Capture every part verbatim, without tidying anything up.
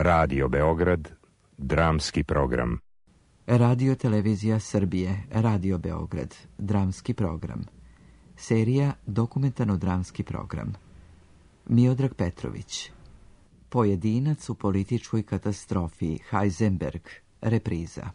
Radio Beograd, dramski program. Radio Televizija Srbije, Radio Beograd, dramski program. Serija dokumentarno-dramski program. Miodrag Petrović. Pojedinac u političkoj katastrofi, Heisenberg, repriza.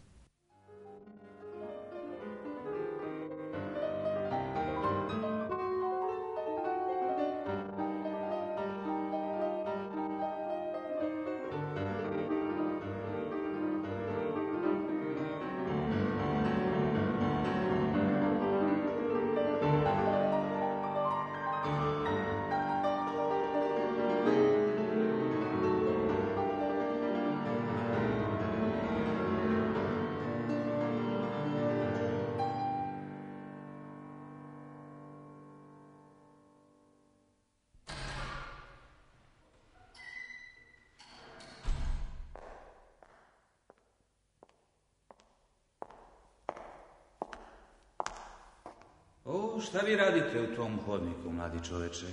O, šta vi radite u tom hodniku, mladi čoveče?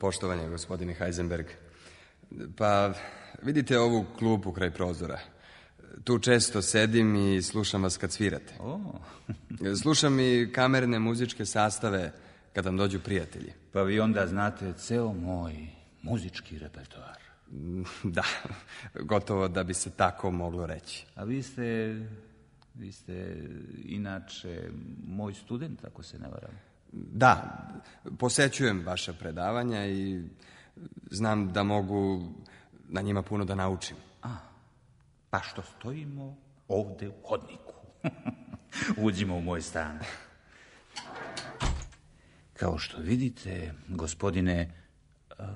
Poštovanje, gospodine Heisenberg. Pa, vidite ovu klupu kraj prozora. Tu često sedim i slušam vas kad svirate. O. Slušam i kamerne muzičke sastave kad vam dođu prijatelji. Pa vi onda znate ceo moj muzički repertoar. Da, gotovo da bi se tako moglo reći. A vi ste... Vi ste inače moj student, ako se ne varam. Da, posećujem vaša predavanja i znam da mogu na njima puno da naučim. A, pa što stojimo ovde u hodniku. Uđimo u moj stan. Kao što vidite, gospodine... Uh,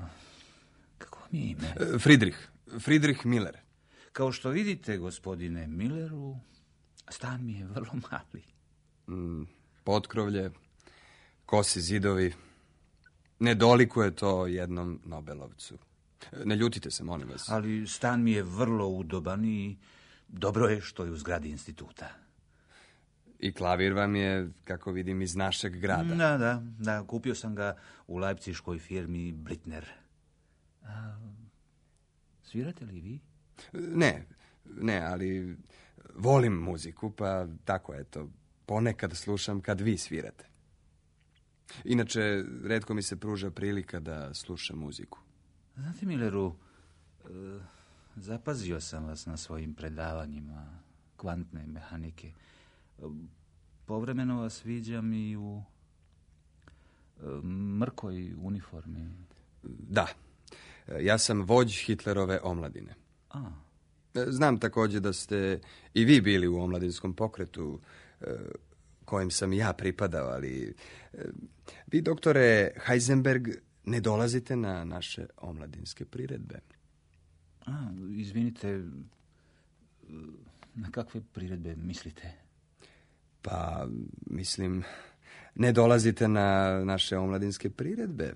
kako vam je ime? Friedrich. Friedrich Miller. Kao što vidite, gospodine Milleru... Stan mi je vrlo mali. Mm, potkrovlje, kosi zidovi. Ne dolikuje to jednom Nobelovcu. Ne ljutite se, molim vas. Ali stan mi je vrlo udoban i dobro je što je u zgradi instituta. I klavir vam je, kako vidim, iz našeg grada. Da, da, da. Kupio sam ga u lajpciškoj firmi Blitner. A, svirate li vi? Ne, ne, ali... Volim muziku, pa tako eto, ponekad slušam kad vi svirate. Inače, retko mi se pruža prilika da slušam muziku. Znate, Milleru, e, zapazio sam vas na svojim predavanjima kvantne mehanike. E, povremeno vas viđam i u e, mrkoj uniformi. Da, ja sam vođ Hitlerove omladine. A, znam također da ste i vi bili u omladinskom pokretu kojem sam ja pripadao, ali vi, doktore Heisenberg, ne dolazite na naše omladinske priredbe. A, izvinite, na kakve priredbe mislite? Pa, mislim, ne dolazite na naše omladinske priredbe.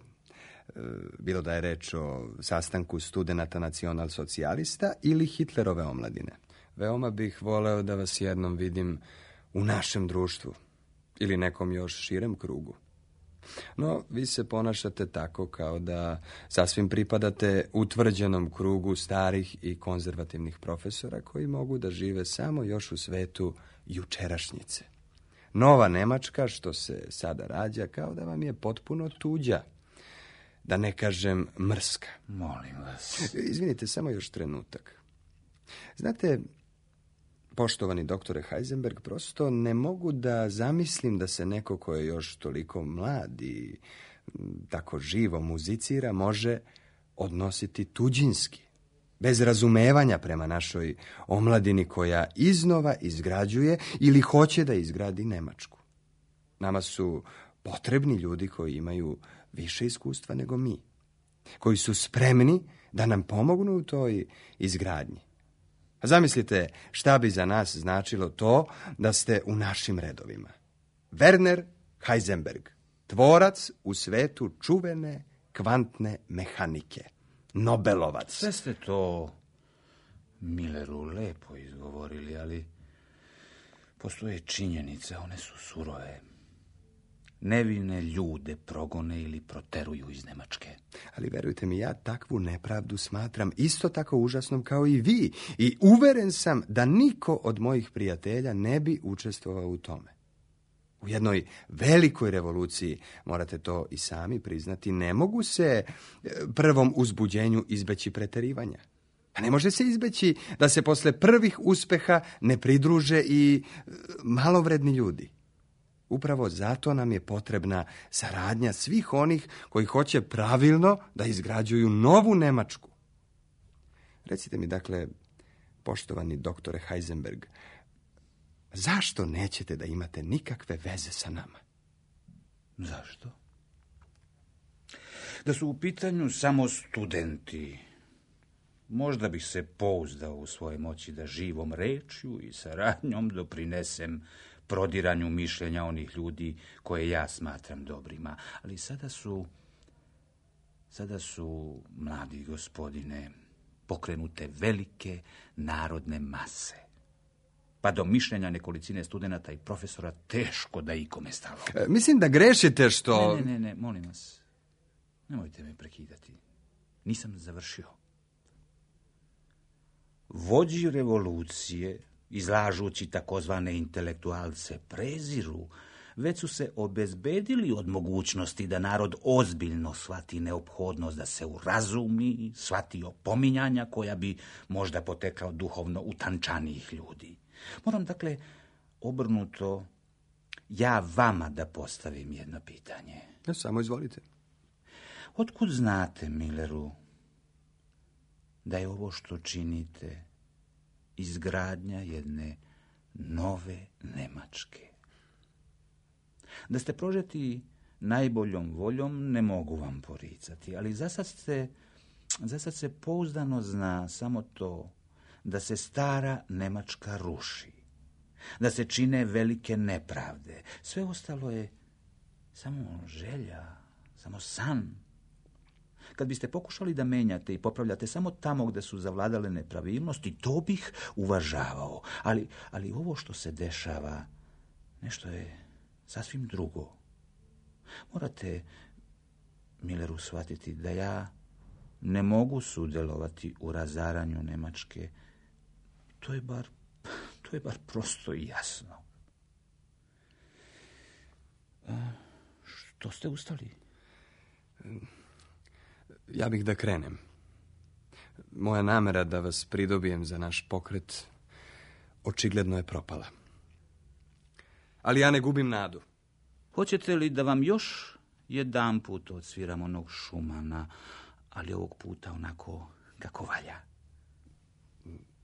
Bilo da je reč o sastanku studenata nacional-socijalista ili Hitlerove omladine. Veoma bih voleo da vas jednom vidim u našem društvu ili nekom još širem krugu. No, vi se ponašate tako kao da sasvim pripadate utvrđenom krugu starih i konzervativnih profesora koji mogu da žive samo još u svetu jučerašnjice. Nova Nemačka, što se sada rađa, kao da vam je potpuno tuđa. Da ne kažem mrska. Molim vas. Izvinite, samo još trenutak. Znate, poštovani doktore Heisenberg, prosto ne mogu da zamislim da se neko ko je još toliko mlad i tako živo muzicira može odnositi tuđinski, bez razumevanja prema našoj omladini koja iznova izgrađuje ili hoće da izgradi Nemačku. Nama su potrebni ljudi koji imaju više iskustva nego mi, koji su spremni da nam pomognu u toj izgradnji. A zamislite šta bi za nas značilo to da ste u našim redovima. Werner Heisenberg, tvorac u svetu čuvene kvantne mehanike, Nobelovac. Sve ste to, Milleru, lepo izgovorili, ali postoje činjenice, one su surove. nevine ljude progone ili proteruju iz Nemačke. Ali verujte mi, ja takvu nepravdu smatram isto tako užasnom kao i vi. I uveren sam da niko od mojih prijatelja ne bi učestvovao u tome. U jednoj velikoj revoluciji, morate to i sami priznati, ne mogu se prvom uzbuđenju izbeći preterivanja. A ne može se izbeći da se posle prvih uspeha ne pridruže i malovredni ljudi. Upravo zato nam je potrebna saradnja svih onih koji hoće pravilno da izgrađuju novu Nemačku. Recite mi, dakle, poštovani doktore Heisenberg, zašto nećete da imate nikakve veze sa nama? Zašto? Da su u pitanju samo studenti, možda bih se pouzdao u svoje moći da živom rečju i saradnjom doprinesem prodiranju mišljenja onih ljudi koje ja smatram dobrima. Ali sada su, sada su, mladi gospodine, pokrenute velike narodne mase. Pa do mišljenja nekolicine studenata i profesora teško da ikome stalo. E, mislim da grešite što... Ne, ne, ne, ne, molim vas. Nemojte me prekidati. Nisam završio. Vođi revolucije, izlažući takozvane intelektualce preziru, već su se obezbedili od mogućnosti da narod ozbiljno shvati neophodnost da se urazumi, shvati opominjanja koja bi možda potekla od duhovno utančanijih ljudi. Moram, dakle, obrnuto ja vama da postavim jedno pitanje. Ja, samo izvolite. Otkud znate, Milleru, da je ovo što činite izgradnja jedne nove Nemačke? Da ste prožeti najboljom voljom, ne mogu vam poricati, ali zasad se, zasad se pouzdano zna samo to da se stara Nemačka ruši, da se čine velike nepravde. Sve ostalo je samo želja, samo san. Kad biste pokušali da menjate i popravljate samo tamo gde su zavladale nepravilnosti, to bih uvažavao. Ali, ali ovo što se dešava, nešto je sasvim drugo. Morate, Milleru, shvatiti da ja ne mogu sudjelovati u razaranju Nemačke. To je bar, to je bar prosto i jasno. A, što ste ustali? Ja bih da krenem. Moja namera da vas pridobijem za naš pokret očigledno je propala. Ali ja ne gubim nadu. Hoćete li da vam još jedan put odsviram onog Šumana, ali ovog puta onako kako valja?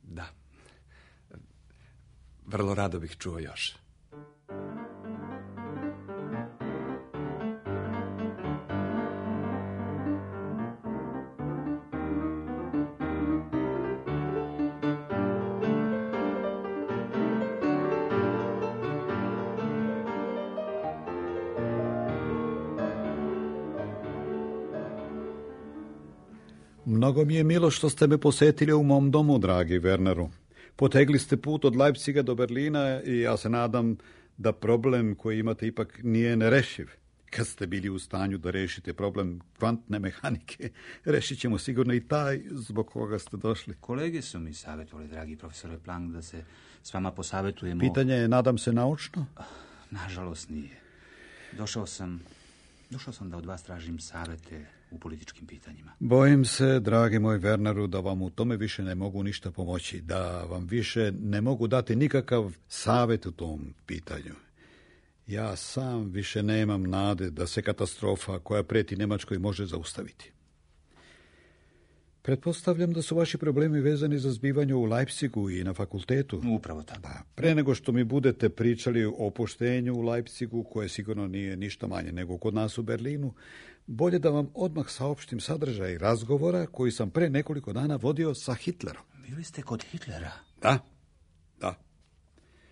Da. Vrlo rado bih čuo još. Mnogo mi je milo što ste me posetili u mom domu, dragi Werneru. Potegli ste put od Leipziga do Berlina i ja se nadam da problem koji imate ipak nije nerešiv. Kad ste bili u stanju da rešite problem kvantne mehanike, rešit ćemo sigurno i taj zbog koga ste došli. Kolege su mi savjetovali, dragi profesore Planck, da se s vama posavetujemo. Pitanje je, nadam se, naučno? Nažalost nije. Došao sam, došao sam da od vas tražim savete u političkim pitanjima. Bojim se, dragi moj Werneru, da vam u tome više ne mogu ništa pomoći, da vam više ne mogu dati nikakav savjet u tom pitanju. Ja sam više nemam nade da se katastrofa koja preti Nemačkoj može zaustaviti. Pretpostavljam da su vaši problemi vezani za zbivanje u Leipzigu i na fakultetu. Upravo tako. Pa, pre nego što mi budete pričali o opuštenju u Leipzigu, koje sigurno nije ništa manje nego kod nas u Berlinu, bolje da vam odmah saopštim sadržaj razgovora koji sam pre nekoliko dana vodio sa Hitlerom. Bili ste kod Hitlera? Da, da.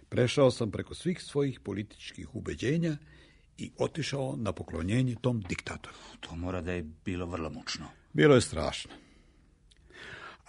Prešao sam preko svih svojih političkih ubeđenja i otišao na poklonjenje tom diktatoru. To mora da je bilo vrlo mučno. Bilo je strašno.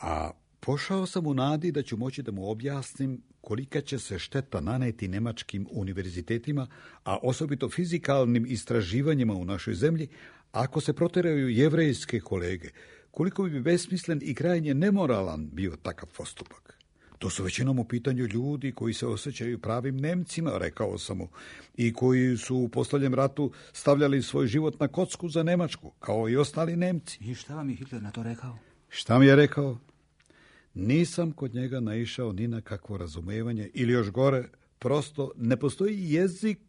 A Pošao sam u nadi da ću moći da mu objasnim kolika će se šteta naneti nemačkim univerzitetima, a osobito fizikalnim istraživanjima u našoj zemlji, ako se proteraju jevrejske kolege, koliko bi besmislen i krajnje nemoralan bio takav postupak. To su većinom u pitanju ljudi koji se osjećaju pravim Nemcima, rekao sam mu, i koji su u posljednjem ratu stavljali svoj život na kocku za Nemačku, kao i ostali Nemci. I šta vam je Hitler na to rekao? Šta mi je rekao? Nisam kod njega naišao ni na kakvo razumevanje, ili još gore, prosto ne postoji jezik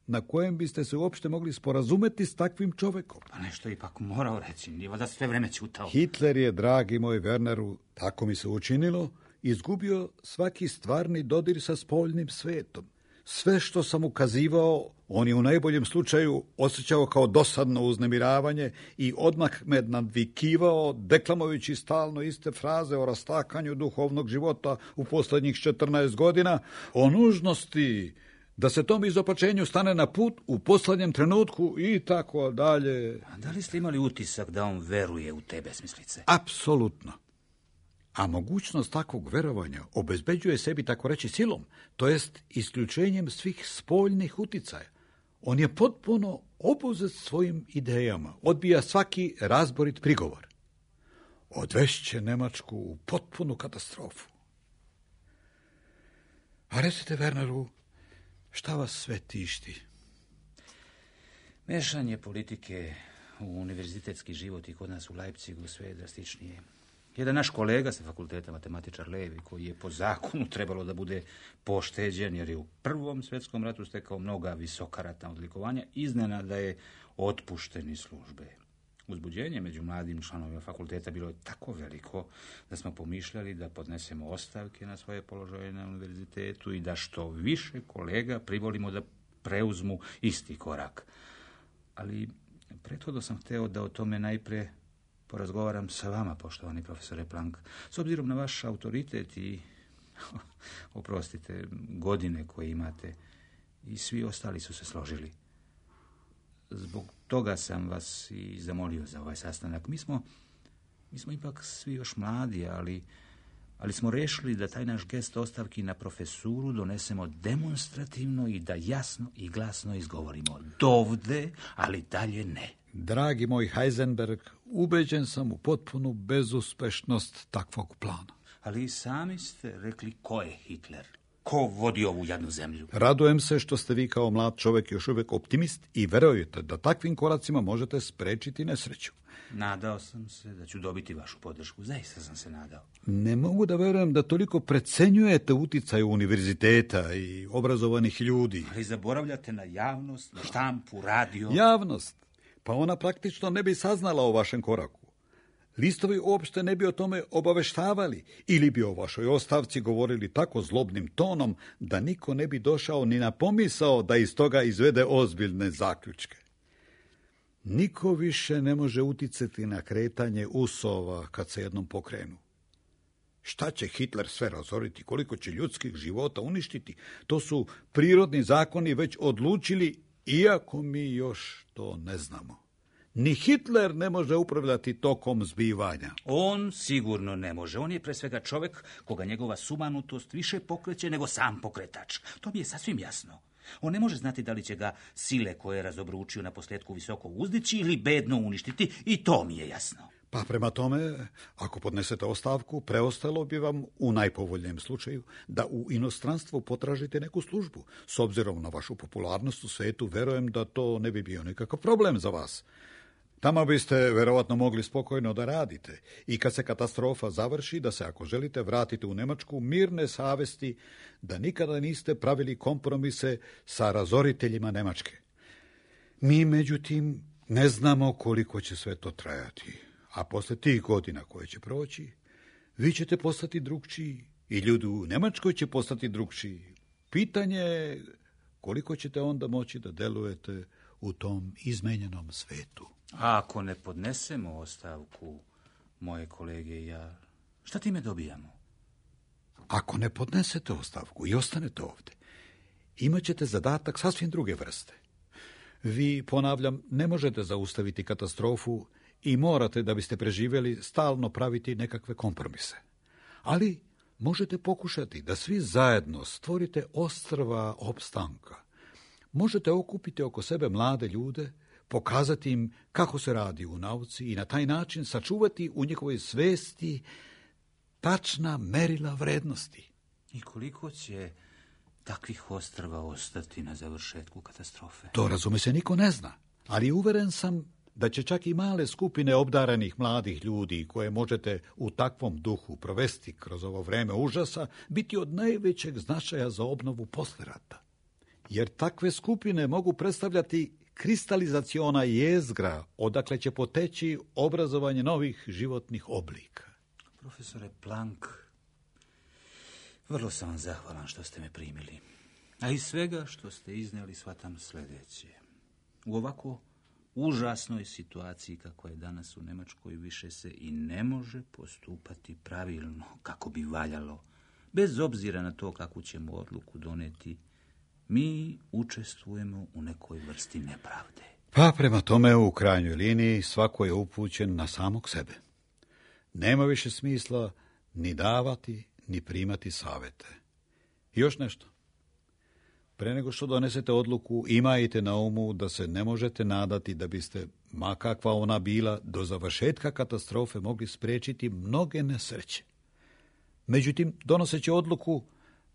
na kojem biste se uopšte mogli sporazumeti s takvim čovekom. Pa nešto ipak morao reći, nije da sve vreme ćutao. Hitler je, dragi moj Werneru, tako mi se učinilo, izgubio svaki stvarni dodir sa spoljnim svetom. Sve što sam ukazivao, on je u najboljem slučaju osjećao kao dosadno uznemiravanje i odmah me nadvikivao, deklamujući stalno iste fraze o rastakanju duhovnog života u posljednjih četrnaest godina, o nužnosti da se tom izopačenju stane na put u posljednjem trenutku i tako dalje. A da li ste imali utisak da on veruje u te besmislice? Apsolutno. A mogućnost takvog verovanja obezbeđuje sebi, tako reći, silom, to jest isključenjem svih spoljnih uticaja. On je potpuno obuzet svojim idejama, odbija svaki razborit prigovor. Odvešće Nemačku u potpunu katastrofu. A recite, Werneru, šta vas sve tišti? Mešanje politike u univerzitetski život i kod nas u Leipzigu sve je drastičnije. Jedan naš kolega sa fakulteta, matematičar Levi, koji je po zakonu trebalo da bude pošteđen, jer je u Prvom svjetskom ratu stekao mnoga visoka ratna odlikovanja, iznenada je otpušten iz službe. Uzbuđenje među mladim članovima fakulteta bilo je tako veliko da smo pomišljali da podnesemo ostavke na svoje položaje na univerzitetu i da što više kolega privolimo da preuzmu isti korak. Ali prethodno sam hteo da o tome najpre porazgovaram sa vama, poštovani profesore Planck. S obzirom na vaš autoritet i, oprostite, godine koje imate, i svi ostali su se složili. Zbog toga sam vas i zamolio za ovaj sastanak. Mi smo, mi smo ipak svi još mladi, ali, ali smo rešili da taj naš gest ostavki na profesuru donesemo demonstrativno i da jasno i glasno izgovorimo dovde, ali dalje ne. Dragi moj Heisenberg, ubeđen sam u potpunu bezuspešnost takvog plana. Ali i sami ste rekli ko je Hitler. Ko vodi ovu jadnu zemlju? Radujem se što ste vi kao mlad čovjek još uvijek optimist i verujete da takvim koracima možete sprečiti nesreću. Nadao sam se da ću dobiti vašu podršku. Zaista sam se nadao. Ne mogu da verujem da toliko precenjujete uticaj univerziteta i obrazovanih ljudi. Ali zaboravljate na javnost, na štampu, radio. Javnost? Pa ona praktično ne bi saznala o vašem koraku. Listovi uopšte ne bi o tome obaveštavali ili bi o vašoj ostavci govorili tako zlobnim tonom da niko ne bi došao ni na pomisao da iz toga izvede ozbiljne zaključke. Niko više ne može uticati na kretanje usova kad se jednom pokrenu. Šta će Hitler sve razoriti, koliko će ljudskih života uništiti, to su prirodni zakoni već odlučili, iako mi još to ne znamo. Ni Hitler ne može upravljati tokom zbivanja. On sigurno ne može. On je pre svega čovjek koga njegova sumanutost više pokreće nego sam pokretač. To mi je sasvim jasno. On ne može znati da li će ga sile koje je razobručio na posljedku visoko uzdići ili bedno uništiti, i to mi je jasno. Pa prema tome, ako podnesete ostavku, preostalo bi vam u najpovoljnijem slučaju da u inostranstvu potražite neku službu. S obzirom na vašu popularnost u svetu, verujem da to ne bi bio nikakav problem za vas. Tamo biste verovatno mogli spokojno da radite i kad se katastrofa završi, da se, ako želite, vratite u Nemačku mirne savesti, da nikada niste pravili kompromise sa razoriteljima Nemačke. Mi, međutim, ne znamo koliko će sve to trajati, a posle tih godina koje će proći, vi ćete postati drugčiji i ljudi u Nemačkoj će postati drugčiji. Pitanje je koliko ćete onda moći da delujete u tom izmenjenom svetu. A ako ne podnesemo ostavku, moje kolege i ja, šta time dobijamo? Ako ne podnesete ostavku i ostanete ovdje, imat ćete zadatak sasvim druge vrste. Vi, ponavljam, ne možete zaustaviti katastrofu i morate, da biste preživjeli, stalno praviti nekakve kompromise. Ali možete pokušati da svi zajedno stvorite ostrva opstanka. Možete okupiti oko sebe mlade ljude, pokazati im kako se radi u nauci i na taj način sačuvati u njihovoj svesti tačna merila vrednosti. I koliko će takvih ostrva ostati na završetku katastrofe? To, razume se, niko ne zna, ali uveren sam da će čak i male skupine obdaranih mladih ljudi koje možete u takvom duhu provesti kroz ovo vreme užasa biti od najvećeg značaja za obnovu posle rata. Jer takve skupine mogu predstavljati kristalizaciona jezgra odakle će poteći obrazovanje novih životnih oblika. Profesore Planck, vrlo sam vam zahvalan što ste me primili. A iz svega što ste iznijeli shvatam sljedeće. U ovako užasnoj situaciji kakva je danas u Njemačkoj više se i ne može postupati pravilno kako bi valjalo. Bez obzira na to kakvu ćemo odluku doneti, mi učestvujemo u nekoj vrsti nepravde. Pa prema tome u krajnjoj liniji svako je upućen na samog sebe. Nema više smisla ni davati, ni primati savete. I još nešto. Pre nego što donesete odluku, imajte na umu da se ne možete nadati da biste, ma kakva ona bila, do završetka katastrofe mogli spriječiti mnoge nesreće. Međutim, donoseći odluku,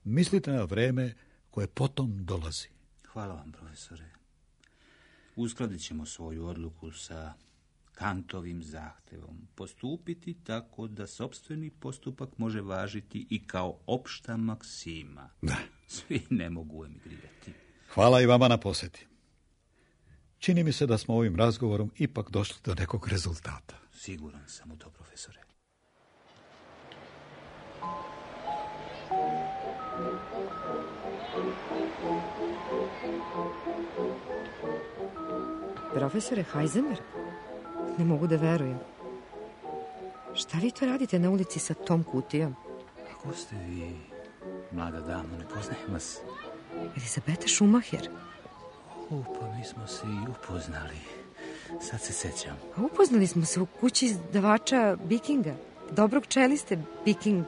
mislite na vreme koje potom dolazi. Hvala vam, profesore. Uskladit ćemo svoju odluku sa Kantovim zahtevom. Postupiti tako da sopstveni postupak može važiti i kao opšta maksima. Da. Svi ne mogu emigrirati. Hvala i vama na posjeti. Čini mi se da smo ovim razgovorom ipak došli do nekog rezultata. Siguran sam u to, profesore. Profesore Heisenberg, ne mogu da verujem. Šta vi to radite na ulici sa tom kutijom? Ko ste vi, mlada dama, ne poznajem vas? Elizabeta Schumacher. O, pa mi smo se i upoznali. Sad se sećam. A upoznali smo se u kući izdavača Bikinga, dobrog čeliste Biking,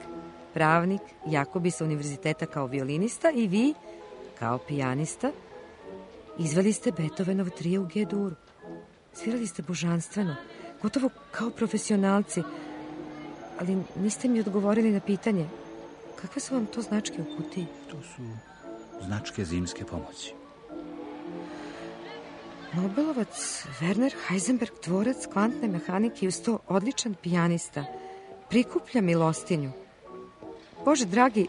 pravnik, Jakobi sa univerziteta kao violinista i vi, kao pijanista, izveli ste Beethovenov trije u G-duru. Svirali ste božanstveno, gotovo kao profesionalci, ali niste mi odgovorili na pitanje. Kakve su vam to značke u kutiji? To su značke zimske pomoći. Nobelovac Werner Heisenberg, tvorac kvantne mehanike i uz to odličan pijanista, prikuplja milostinju. Bože dragi,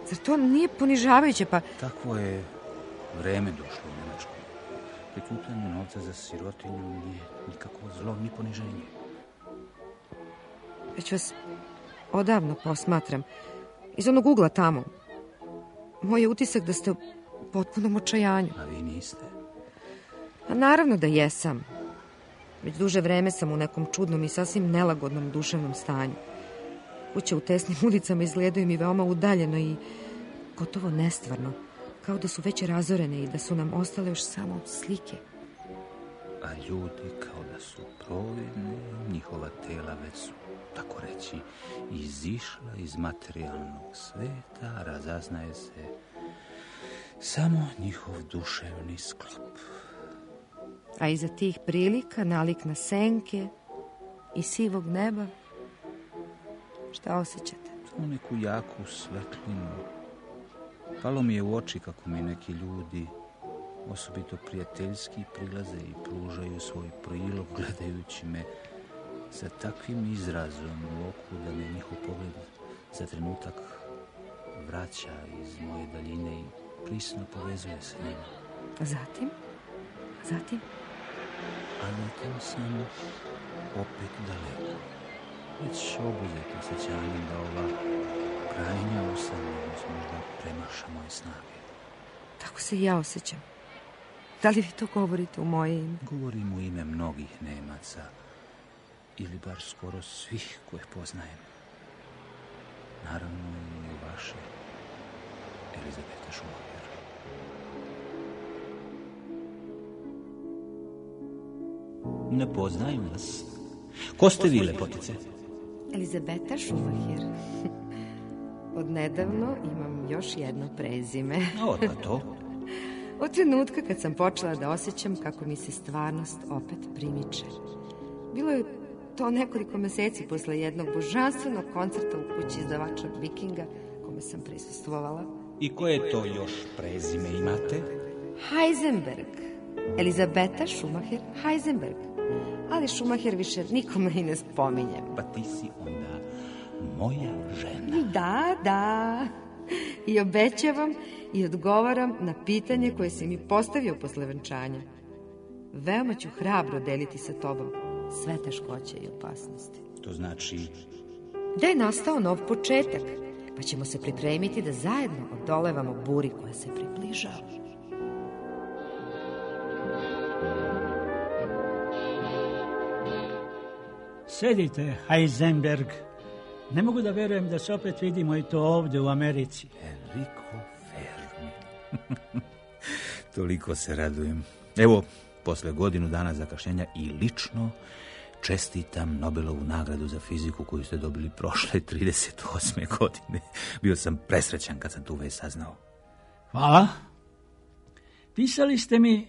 zar to nije ponižavajuće, pa... Takvo je vreme došlo u Njemačku. Prikupljanje novca za sirotinju nije nikakvo zlo, ni poniženje. Već vas odavno posmatram. Iz onog ugla tamo. Moj je utisak da ste u potpunom očajanju. A vi niste? A naravno da jesam. Već duže vreme sam u nekom čudnom i sasvim nelagodnom duševnom stanju. Kuće u tesnim ulicama izgledaju mi veoma udaljeno i gotovo nestvarno. Kao da su već razorene i da su nam ostale još samo slike. A ljudi kao da su providni, njihova tela već su, tako reći, izišla iz materijalnog sveta, razaznaje se samo njihov duševni sklop. A iza tih prilika nalik na senke i sivog neba, šta osjećate? U neku jaku svetlinu. Palo mi je u oči kako mi neki ljudi, osobito prijateljski, prilaze i pružaju svoj prilog gledajući me sa takvim izrazom u oku da me njihov pogled za trenutak vraća iz moje daljine i prisno povezuje sa njima. A zatim? A zatim? A zatim sam opet daleko. Već obuzeti osjećanjem da ova krajnja usamljenost možda premaša moje snage. Tako se i ja osjećam. Da li vi to govorite u moje ime? Govorim u ime mnogih Nemaca, ili bar skoro svih koje poznajem. Naravno i u vaše, Elizabeta Schumacher. Ne poznajem vas. Ko ste vi, lepotice? Elizabeta Schumacher. odnedavno imam još jedno prezime. Odmah to. Od trenutka kad sam počela da osjećam kako mi se stvarnost opet primiče. Bilo je to nekoliko meseci posle jednog božanstvenog koncerta u kući izdavača Vikinga, kome sam prisustvovala. I koje to još prezime imate? Heisenberg. Elizabeta Schumacher Heisenberg. Ali Schumacher više nikome i ne spominjem. Pa ti si onda moja žena. Da, da. I obećavam i odgovaram na pitanje koje si mi postavio posle venčanja. Veoma ću hrabro deliti sa tobom sve teškoće i opasnosti. To znači... Da je nastao nov početak, pa ćemo se pripremiti da zajedno odolevamo buri koja se približava. Sedite, Heisenberg. Ne mogu da verujem da se opet vidimo i to ovdje u Americi. Enrico Fermi. Toliko se radujem. Evo, posle godinu dana zakašnjenja i lično čestitam Nobelovu nagradu za fiziku koju ste dobili prošle trideset osme godine. Bio sam presrećan kad sam tu već saznao. Hvala. Pisali ste mi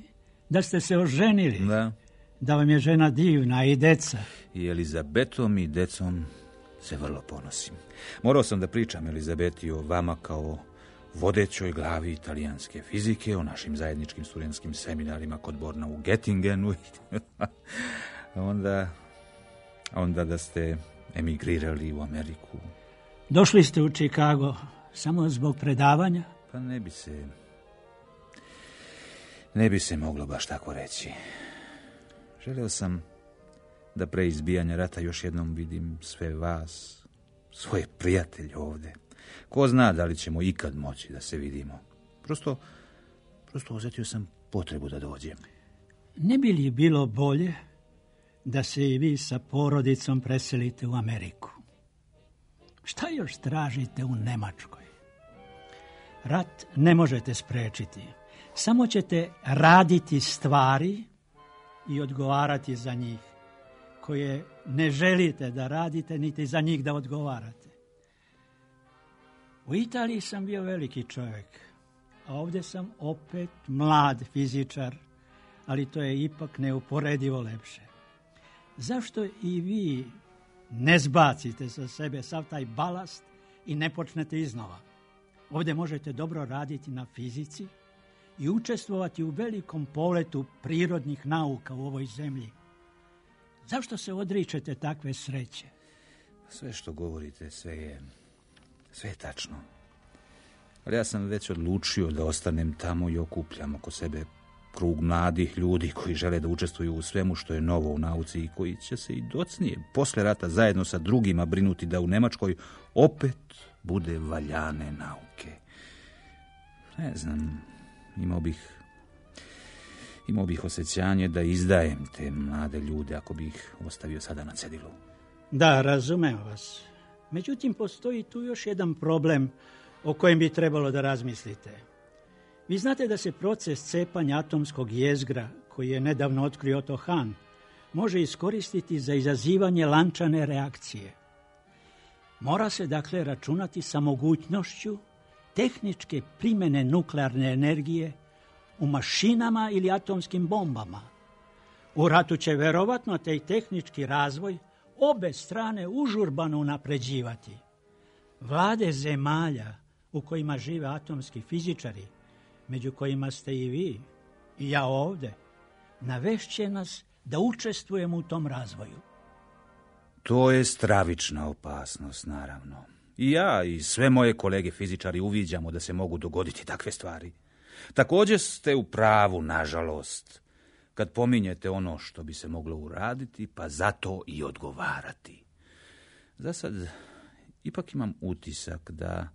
da ste se oženili. Da. Da vam je žena divna i deca. I Elizabetom i decom se vrlo ponosim. Morao sam da pričam Elizabeti o vama kao vodećoj glavi italijanske fizike, o našim zajedničkim studentskim seminarima kod Borna u Göttingenu. onda, onda da ste emigrirali u Ameriku. Došli ste u Chicago samo zbog predavanja? Pa ne bi se... Ne bi se moglo baš tako reći. Želeo sam da pre izbijanja rata još jednom vidim sve vas, svoje prijatelje ovde. Ko zna da li ćemo ikad moći da se vidimo. Prosto, prosto osjetio sam potrebu da dođem. Ne bi li bilo bolje da se i vi sa porodicom preselite u Ameriku? Šta još tražite u Nemačkoj? Rat ne možete sprečiti. Samo ćete raditi stvari i odgovarati za njih, koje ne želite da radite, niti za njih da odgovarate. U Italiji sam bio veliki čovjek, a ovdje sam opet mlad fizičar, ali to je ipak neuporedivo lepše. Zašto i vi ne zbacite sa sebe sav taj balast i ne počnete iznova? Ovdje možete dobro raditi na fizici i učestvovati u velikom poletu prirodnih nauka u ovoj zemlji. Zašto se odričete takve sreće? Sve što govorite, sve je, sve je tačno. Ali ja sam već odlučio da ostanem tamo i okupljam oko sebe krug mladih ljudi koji žele da učestvuju u svemu što je novo u nauci i koji će se i docnije posle rata zajedno sa drugima brinuti da u Nemačkoj opet bude valjane nauke. Ne znam, imao bih imao bih osjećanje da izdajem te mlade ljude ako bih ih ostavio sada na cedilu. Da, razumem vas. Međutim, postoji tu još jedan problem o kojem bi trebalo da razmislite. Vi znate da se proces cepanja atomskog jezgra, koji je nedavno otkrio Otto Hahn, može iskoristiti za izazivanje lančane reakcije. Mora se dakle računati sa mogućnošću tehničke primjene nuklearne energije u mašinama ili atomskim bombama. U ratu će verovatno taj tehnički razvoj obe strane užurbano unapređivati. Vlade zemalja u kojima žive atomski fizičari, među kojima ste i vi i ja ovde, navešće nas da učestvujemo u tom razvoju. To je stravična opasnost, naravno. I ja i sve moje kolege fizičari uviđamo da se mogu dogoditi takve stvari. Također ste u pravu, nažalost, kad pominjete ono što bi se moglo uraditi, pa zato i odgovarati. Za sad ipak imam utisak da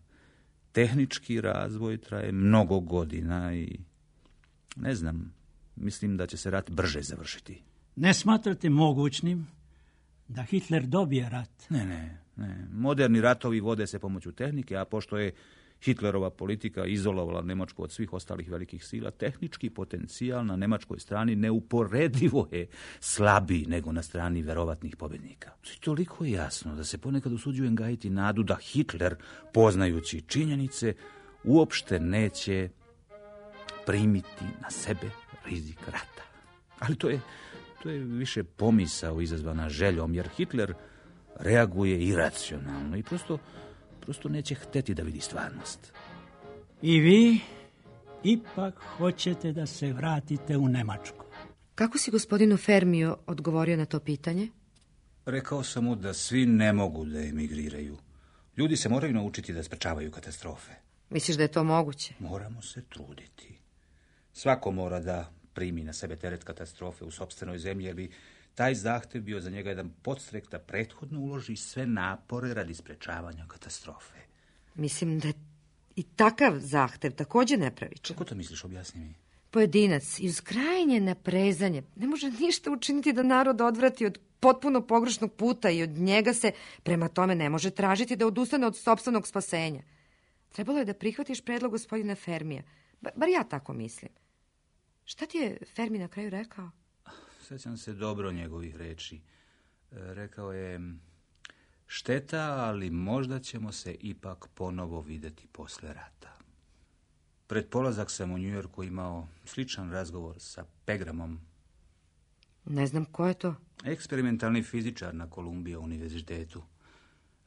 tehnički razvoj traje mnogo godina i ne znam, mislim da će se rat brže završiti. Ne smatrate mogućnim da Hitler dobije rat? Ne, ne, ne. Moderni ratovi vode se pomoću tehnike, a pošto je Hitlerova politika izolovala Njemačku od svih ostalih velikih sila. Tehnički potencijal na nemačkoj strani neuporedivo je slabiji nego na strani verovatnih pobjednika. I toliko je jasno da se ponekad usuđujem gajiti nadu da Hitler, poznajući činjenice, uopšte neće primiti na sebe rizik rata. Ali to je, to je više pomisao izazvana željom, jer Hitler reaguje iracionalno i prosto, prosto neće hteti da vidi stvarnost. I vi ipak hoćete da se vratite u Nemačku. Kako si gospodinu Fermiju odgovorio na to pitanje? Rekao sam mu da svi ne mogu da emigriraju. Ljudi se moraju naučiti da sprečavaju katastrofe. Misliš da je to moguće? Moramo se truditi. Svako mora da primi na sebe teret katastrofe u sopstvenoj zemlji, jer bi taj zahtev bio za njega jedan podstrek da prethodno uloži sve napore radi sprečavanja katastrofe. Mislim da je i takav zahtev također nepravičan. Kako to misliš, objasni mi? Pojedinac iz krajnje naprezanje ne može ništa učiniti da narod odvrati od potpuno pogrešnog puta i od njega se prema tome ne može tražiti da odustane od sopstvenog spasenja. Trebalo je da prihvatiš predlog gospodina Fermija. Ba, bar ja tako mislim. Šta ti je Fermi na kraju rekao? Sjećam se dobro njegovih reči. Rekao je, šteta, ali možda ćemo se ipak ponovo vidjeti posle rata. Pred polazak sam u Njujorku imao sličan razgovor sa Pegramom. Ne znam ko je to. Eksperimentalni fizičar na Kolumbija univerzitetu.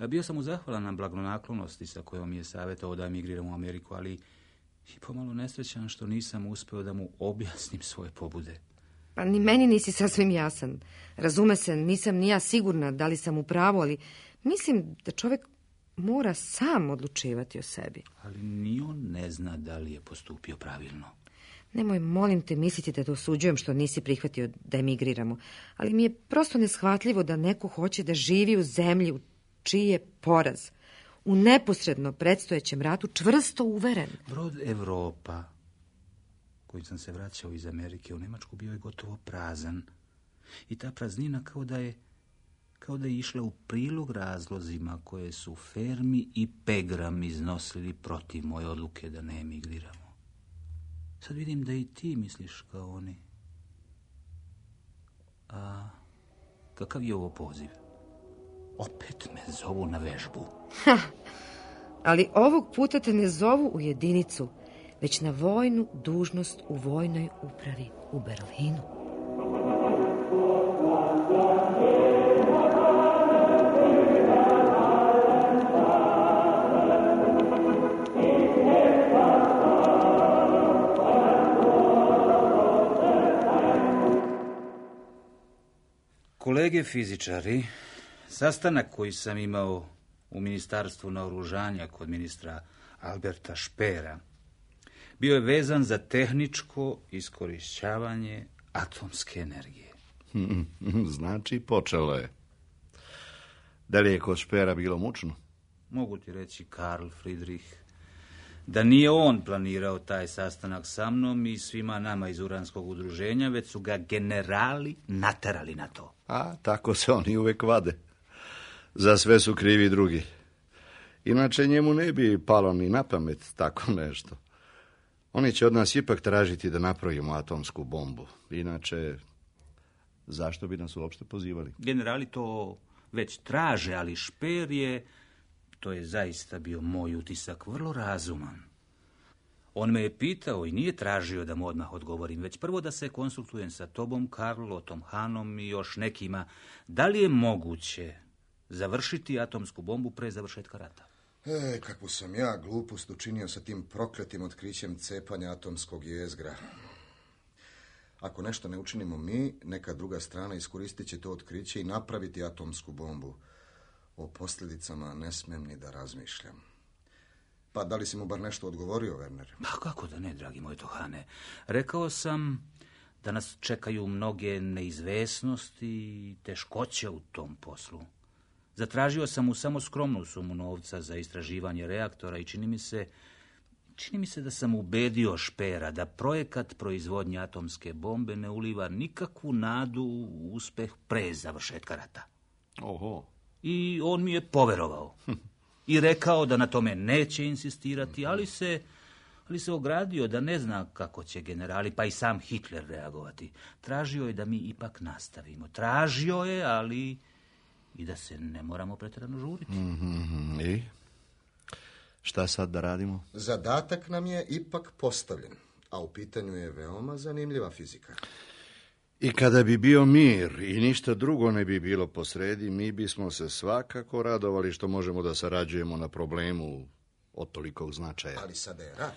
Bio sam mu zahvalan na blagonaklonosti sa kojom mi je savjetovao da emigriram u Ameriku, ali i pomalo nesrećan što nisam uspeo da mu objasnim svoje pobude. Pa ni meni nisi sasvim jasan. Razume se, nisam ni ja sigurna da li sam u pravu, ali mislim da čovjek mora sam odlučivati o sebi. Ali ni on ne zna da li je postupio pravilno. Nemoj, molim te, misliti da te osuđujem što nisi prihvatio da emigriramo, ali mi je prosto neshvatljivo da neko hoće da živi u zemlji u čiji je poraz, u neposredno predstojećem ratu čvrsto uveren. Brod Evropa, kojim sam se vraćao iz Amerike u Njemačku, bio je gotovo prazan. I ta praznina kao da je, kao da je išla u prilog razlozima koje su Fermi i Pegram iznosili protiv moje odluke da ne emigriramo. Sad vidim da i ti misliš kao oni. A kakav je ovo poziv? Opet me zovu na vežbu. Ha, ali ovog puta te ne zovu u jedinicu, već na vojnu dužnost u vojnoj upravi u Berlinu. Kolege fizičari, sastanak koji sam imao u Ministarstvu naoružanja kod ministra Alberta Špera bio je vezan za tehničko iskorišćavanje atomske energije. Znači, počelo je. Da li je kod Špera bilo mučno? Mogu ti reći, Karl Friedrich, da nije on planirao taj sastanak sa mnom i svima nama iz Uranskog udruženja, već su ga generali naterali na to. A, tako se oni uvek vade. Za sve su krivi drugi. Inače njemu ne bi palo ni na pamet tako nešto. Oni će od nas ipak tražiti da napravimo atomsku bombu. Inače, zašto bi nas uopšte pozivali? Generali to već traže, ali Šper je, to je zaista bio moj utisak, vrlo razuman. On me je pitao i nije tražio da mu odmah odgovorim, već prvo da se konsultujem sa tobom, Karlotom Hanom i još nekima. Da li je moguće završiti atomsku bombu pre završetka rata? E, kakvu sam ja glupost učinio sa tim prokletim otkrićem cepanja atomskog jezgra. Ako nešto ne učinimo mi, neka druga strana iskoristit će to otkriće i napraviti atomsku bombu. O posljedicama ne smem ni da razmišljam. Pa da li si mu bar nešto odgovorio, Werner? Pa kako da ne, dragi moj Tohane. Rekao sam da nas čekaju mnoge neizvesnosti i teškoće u tom poslu. Zatražio sam mu samo skromnu sumu novca za istraživanje reaktora i čini mi se, čini mi se da sam ubedio Špera da projekat proizvodnje atomske bombe ne uliva nikakvu nadu u uspeh pre završetka rata. Oho. I on mi je poverovao. i rekao da na tome neće insistirati, ali se, ali se ogradio da ne zna kako će generali, pa i sam Hitler reagovati. Tražio je da mi ipak nastavimo. Tražio je, ali i da se ne moramo pretjerano žuriti. Mm-hmm. I? Šta sad da radimo? Zadatak nam je ipak postavljen, a u pitanju je veoma zanimljiva fizika. I kada bi bio mir i ništa drugo ne bi bilo posredi, mi bismo se svakako radovali što možemo da sarađujemo na problemu od tolikog značaja. Ali sada je rat.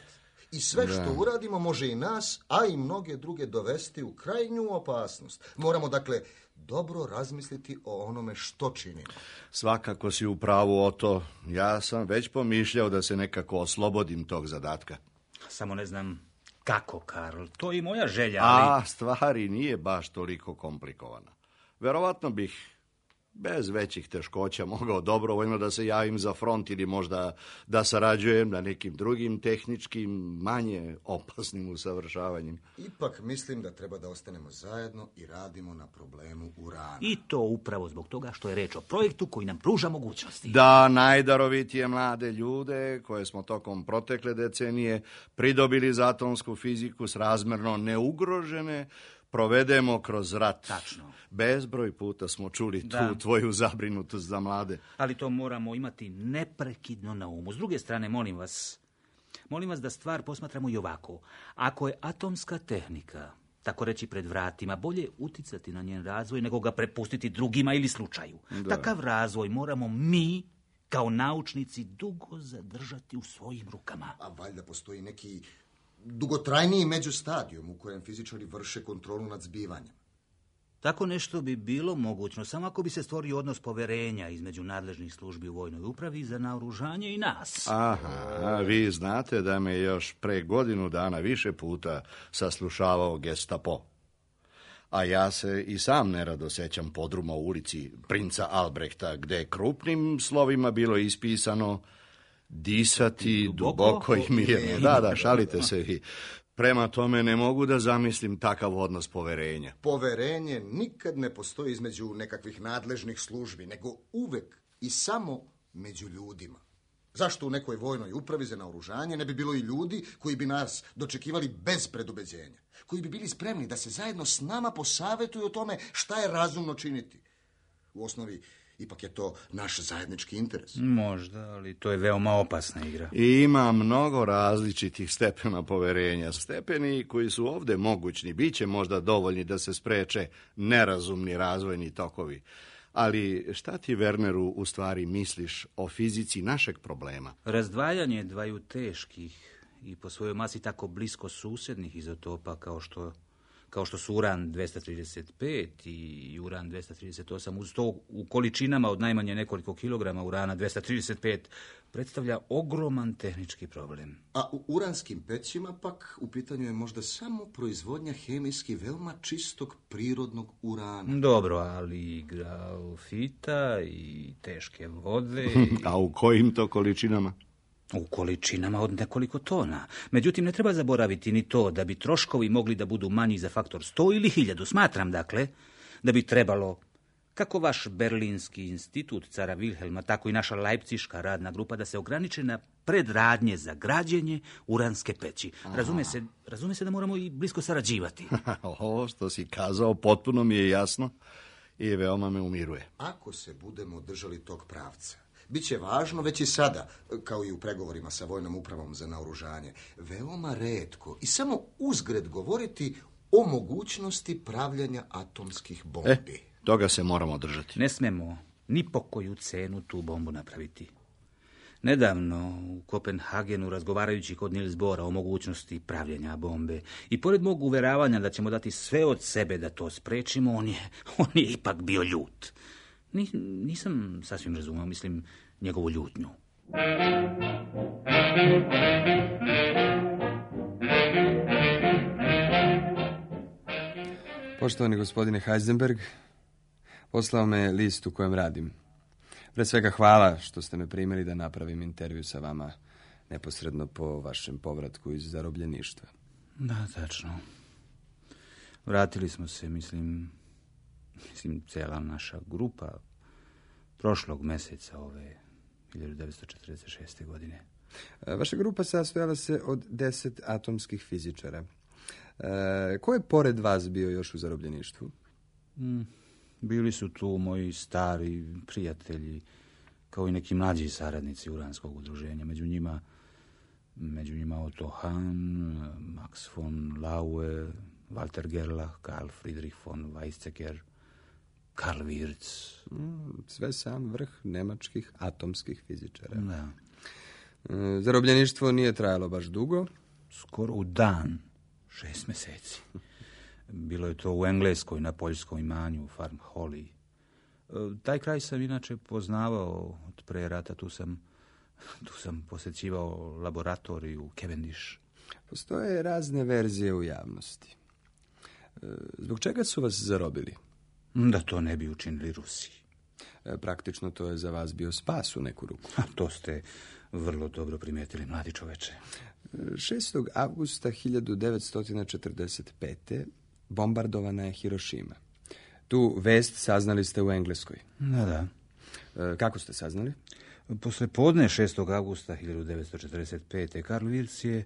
I sve Da. što uradimo može i nas, a i mnoge druge dovesti u krajnju opasnost. Moramo, dakle, dobro razmisliti o onome što činimo. Svakako si u pravu o to. Ja sam već pomišljao da se nekako oslobodim tog zadatka. Samo ne znam kako, Karl. To je i moja želja, ali... A stvari nije baš toliko komplikovana. Verovatno bih bez većih teškoća mogao dobrovoljno da se javim za front ili možda da sarađujem na nekim drugim tehničkim, manje opasnim usavršavanjem. Ipak mislim da treba da ostanemo zajedno i radimo na problemu urana. I to upravo zbog toga što je reč o projektu koji nam pruža mogućnosti. Da najdarovitije mlade ljude koje smo tokom protekle decenije pridobili za atomsku fiziku srazmerno neugrožene provedemo kroz rat. Tačno. Bezbroj puta smo čuli Da. tu tvoju zabrinutost za mlade. Ali to moramo imati neprekidno na umu. S druge strane, molim vas, molim vas da stvar posmatramo i ovako. Ako je atomska tehnika, tako reći pred vratima, bolje uticati na njen razvoj nego ga prepustiti drugima ili slučaju. Da. Takav razvoj moramo mi, kao naučnici, dugo zadržati u svojim rukama. A valjda postoji neki dugotrajniji međustadijum u kojem fizičari vrše kontrolu nad zbivanjem. Tako nešto bi bilo mogućno, samo ako bi se stvorio odnos poverenja između nadležnih službi u vojnoj upravi za naoružanje i nas. Aha, vi znate da me još pre godinu dana više puta saslušavao Gestapo. A ja se i sam nerado sećam podruma u ulici Princa Albrehta, gde je krupnim slovima bilo ispisano disati Duboko duboko i mirno. Da, da, šalite se vi. Prema tome ne mogu da zamislim takav odnos poverenja. Poverenje nikad ne postoji između nekakvih nadležnih službi, nego uvek i samo među ljudima. Zašto u nekoj vojnoj upravi za naoružanje ne bi bilo i ljudi koji bi nas dočekivali bez predubeđenja, koji bi bili spremni da se zajedno s nama posavetuju o tome šta je razumno činiti? U osnovi, ipak je to naš zajednički interes. Možda, ali to je veoma opasna igra. I ima mnogo različitih stepena poverenja. Stepeni koji su ovde mogućni, bit će možda dovoljni da se spreče nerazumni razvojni tokovi. Ali šta ti, Werneru, u stvari misliš o fizici našeg problema? Razdvajanje dvaju teških i po svojoj masi tako blisko susjednih izotopa kao što, kao što su uran dvesta trideset pet i uran dvesta trideset osam, uz to u količinama od najmanje nekoliko kilograma urana dvesta trideset pet, predstavlja ogroman tehnički problem. A u uranskim pećima pak u pitanju je možda samo proizvodnja hemijski veoma čistog prirodnog urana. Dobro, ali i grafita i teške vode... I... A u kojim to količinama? U količinama od nekoliko tona. Međutim, ne treba zaboraviti ni to da bi troškovi mogli da budu manji za faktor sto ili hiljadu. Smatram, dakle, da bi trebalo, kako vaš Berlinski institut cara Wilhelma, tako i naša Leipziška radna grupa, da se ograniče na predradnje za građenje uranske peći. Razume se, razume se da moramo i blisko sarađivati. Ovo što si kazao potpuno mi je jasno i veoma me umiruje. Ako se budemo držali tog pravca, biće važno već i sada, kao i u pregovorima sa vojnom upravom za naoružanje, veoma retko i samo uzgred govoriti o mogućnosti pravljanja atomskih bombi. E, toga se moramo držati. Ne smemo ni po koju cenu tu bombu napraviti. Nedavno u Kopenhagenu, razgovarajući kod Niels Bohra o mogućnosti pravljenja bombe i pored mog uveravanja da ćemo dati sve od sebe da to sprečimo, on je, on je ipak bio ljut. Ni, nisam sasvim razumio, mislim, njegovu ljutnju. Poštovani gospodine Heisenberg, poslao me list u kojem radim. Pre svega hvala što ste me primili da napravim intervju sa vama neposredno po vašem povratku iz zarobljeništva. Da, tačno. Vratili smo se, mislim, mislim, cela naša grupa prošlog meseca ove hiljadu devetsto četrdeset šeste. godine. Vaša grupa sastojala se od deset atomskih fizičara. E, ko je pored vas bio još u zarobljeništvu? Mm, bili su tu moji stari prijatelji, kao i neki mlađi saradnici uranskog udruženja. Među njima, među njima Otto Hahn, Max von Laue, Walter Gerlach, Karl Friedrich von Weizsäcker, Karl Wirtz. Mm, sve sam vrh nemačkih atomskih fizičara. Da. E, zarobljeništvo nije trajalo baš dugo. Skoro u dan, šest meseci. Bilo je to u Engleskoj, na poljskom imanju, Farm Holly. Taj kraj sam inače poznavao od pre rata. Tu sam, tu sam posjećivao laboratoriju Cavendish. Postoje razne verzije u javnosti. Zbog čega su vas zarobili? Da to ne bi učinili Rusi. Praktično to je za vas bio spas u neku ruku. A to ste vrlo dobro primijetili, mladi čoveče. šestog avgusta hiljadu devetsto četrdeset pete. bombardovana je Hirošima. Tu vest saznali ste u Engleskoj. Da, da. E, kako ste saznali? Posle podne šestog avgusta hiljadu devetsto četrdeset pete. Karl Wirtz je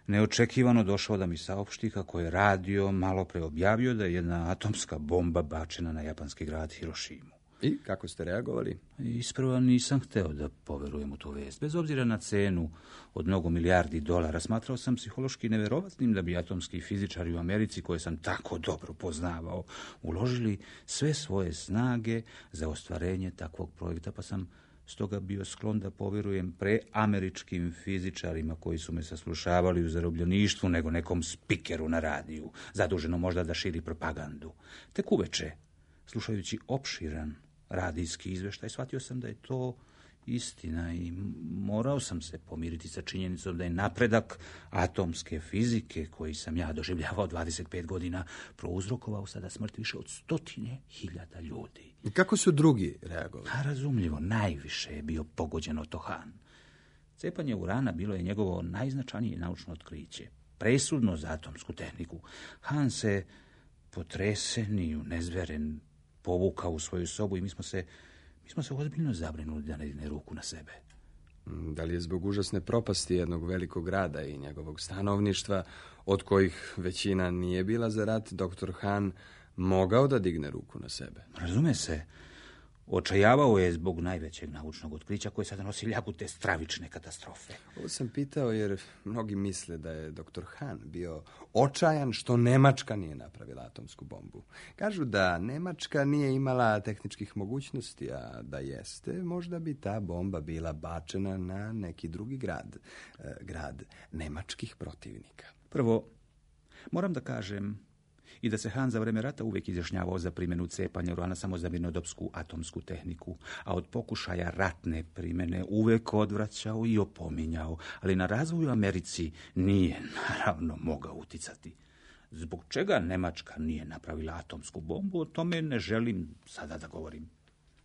neočekivano došao da mi saopšti kako je radio malo pre objavio da je jedna atomska bomba bačena na japanski grad Hirošimu. I kako ste reagovali? Isprva nisam hteo da poverujem u tu vest. Bez obzira na cenu od mnogo milijardi dolara, smatrao sam psihološki neverovatnim da bi atomski fizičari u Americi, koje sam tako dobro poznavao, uložili sve svoje snage za ostvarenje takvog projekta, pa sam stoga bio sklon da povjerujem pre američkim fizičarima koji su me saslušavali u zarobljeništvu nego nekom spikeru na radiju, zaduženo možda da širi propagandu. Tek uveče, slušajući opširan radijski izveštaj, shvatio sam da je to istina i morao sam se pomiriti sa činjenicom da je napredak atomske fizike, koji sam ja doživljavao dvadeset pet godina, prouzrokovao sada smrt više od stotine hiljada ljudi. I kako su drugi reagovali? A razumljivo, najviše je bio pogođen Otto Hahn. Cepanje urana bilo je njegovo najznačajnije naučno otkriće, presudno za atomsku tehniku. Hahn se potresen i unezveren povukao u svoju sobu i mi smo se, mi smo se ozbiljno zabrinuli da ne digne ruku na sebe. Da li je zbog užasne propasti jednog velikog grada i njegovog stanovništva, od kojih većina nije bila za rat, doktor Hahn mogao da digne ruku na sebe? Razume se, očajavao je zbog najvećeg naučnog otkrića koje sada nosi ljagu te stravične katastrofe. Ovo sam pitao jer mnogi misle da je doktor Hahn bio očajan što Nemačka nije napravila atomsku bombu. Kažu da Nemačka nije imala tehničkih mogućnosti, a da jeste, možda bi ta bomba bila bačena na neki drugi grad, grad nemačkih protivnika. Prvo, moram da kažem i da se Hahn za vreme rata uvijek izjašnjavao za primjenu cepanja urana samo za mirnodopsku atomsku tehniku, a od pokušaja ratne primjene uvijek odvraćao i opominjao, ali na razvoj u Americi nije naravno mogao uticati. Zbog čega Nemačka nije napravila atomsku bombu, o tome ne želim sada da govorim.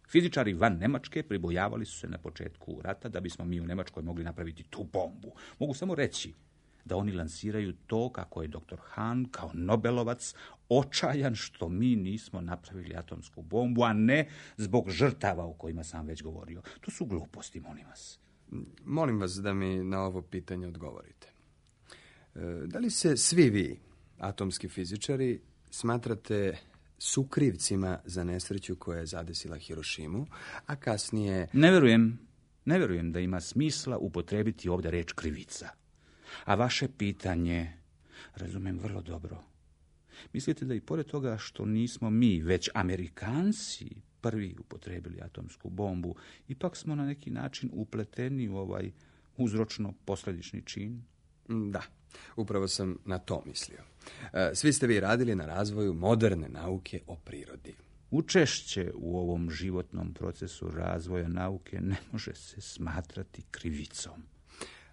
Fizičari van Nemačke pribojavali su se na početku rata da bismo mi u Nemačkoj mogli napraviti tu bombu. Mogu samo reći da oni lansiraju to kako je doktor Hahn kao Nobelovac očajan što mi nismo napravili atomsku bombu, a ne zbog žrtava o kojima sam već govorio. To su gluposti, molim vas. Molim vas da mi na ovo pitanje odgovorite. Da li se svi vi, atomski fizičari, smatrate sukrivcima za nesreću koja je zadesila Hirošimu, a kasnije... Ne verujem, ne verujem da ima smisla upotrebiti ovdje reč krivica. A vaše pitanje razumem vrlo dobro. Mislite da i pored toga što nismo mi, već Amerikanci, prvi upotrebili atomsku bombu, ipak smo na neki način upleteni u ovaj uzročno-posljedični čin? Da, upravo sam na to mislio. Svi ste vi radili na razvoju moderne nauke o prirodi. Učešće u ovom životnom procesu razvoja nauke ne može se smatrati krivicom.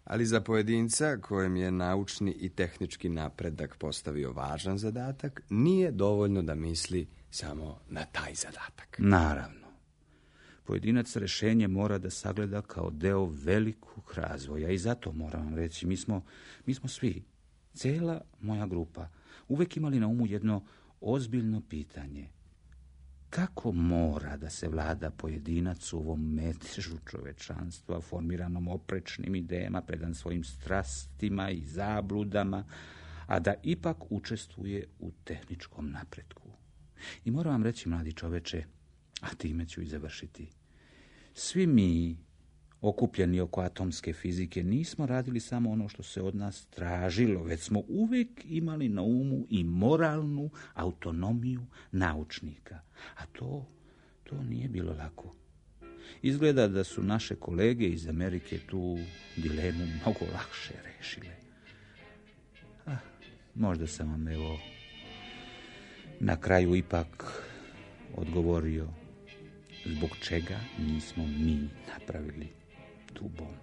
Ali za pojedinca kojem je naučni i tehnički napredak postavio važan zadatak, nije dovoljno da misli samo na taj zadatak. Naravno. Pojedinac rješenje mora da sagleda kao deo velikog razvoja i zato moram vam reći, mi smo, mi smo svi, cijela moja grupa, uvijek imali na umu jedno ozbiljno pitanje. kako mora da se vlada pojedinac u ovom metežu čovečanstva, formiranom oprečnim idejama, predan svojim strastima i zabludama, a da ipak učestvuje u tehničkom napretku. I moram vam reći, mladi čoveče, a time ću i završiti, svi mi, okupljeni oko atomske fizike, nismo radili samo ono što se od nas tražilo, već smo uvijek imali na umu i moralnu autonomiju naučnika. A to, to nije bilo lako. Izgleda da su naše kolege iz Amerike tu dilemu mnogo lakše rešile. Ah, možda sam vam evo na kraju ipak odgovorio zbog čega nismo mi napravili tu bombu.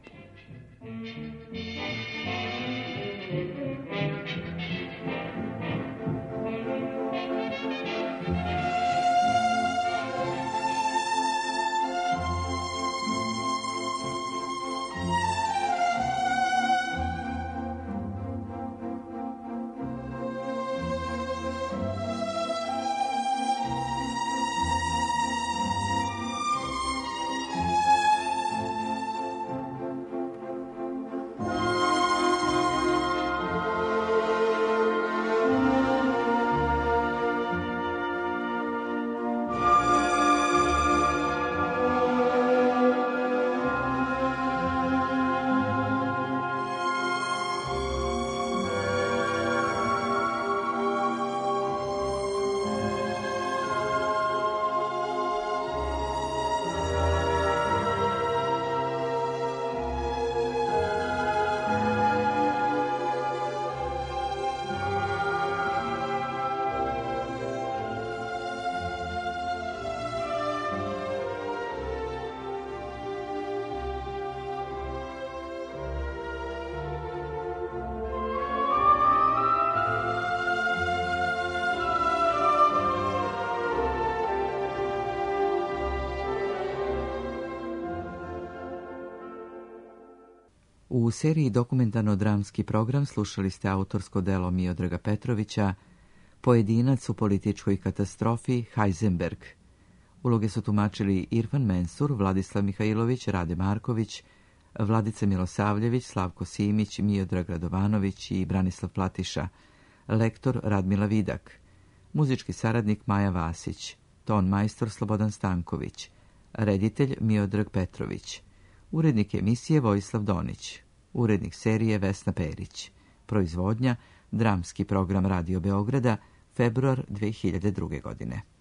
U seriji dokumentarno-dramski program slušali ste autorsko delo Miodraga Petrovića Pojedinac u političkoj katastrofi Heisenberg. Uloge su tumačili Irfan Mensur, Vladislav Mihajlović, Rade Marković, Vladica Milosavljević, Slavko Simić, Miodrag Radovanović i Branislav Platiša, lektor Radmila Vidak, muzički saradnik Maja Vasić, ton majstor Slobodan Stanković, reditelj Miodrag Petrović, urednik emisije Vojislav Donić, urednik serije Vesna Perić, proizvodnja Dramski program Radio Beograda, februar dve hiljade druge. godine.